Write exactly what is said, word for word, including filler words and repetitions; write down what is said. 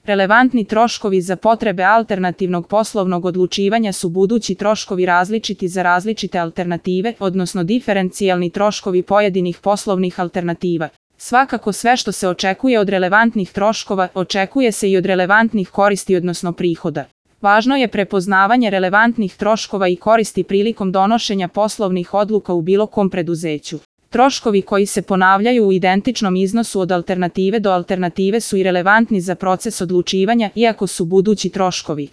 Relevantni troškovi za potrebe alternativnog poslovnog odlučivanja su budući troškovi različiti za različite alternative, odnosno diferencijalni troškovi pojedinih poslovnih alternativa. Svakako sve što se očekuje od relevantnih troškova, očekuje se i od relevantnih koristi odnosno prihoda. Važno je prepoznavanje relevantnih troškova i koristi prilikom donošenja poslovnih odluka u bilo kom preduzeću. Troškovi koji se ponavljaju u identičnom iznosu od alternative do alternative su i relevantni za proces odlučivanja, iako su budući troškovi.